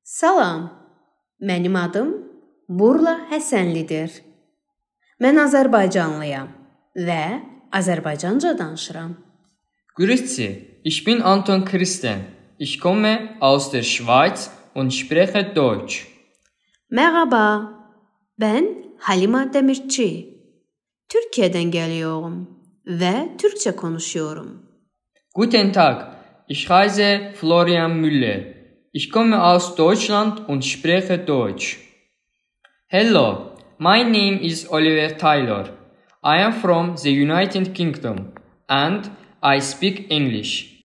Salam, mənim adım Burla Həsənlidir. Mən Azərbaycanlıyam və Azərbaycanca danışıram. Grüezi, ich bin Anton Christen. Ich komme aus der Schweiz und spreche Deutsch. Merhaba, ben Halima Demirci. Türkiye'den geliyorum ve Türkçe konuşuyorum. Guten Tag, ich heiße Florian Müller. Ich komme aus Deutschland und spreche Deutsch. Hello, my name is Oliver Taylor. I am from the United Kingdom and I speak English.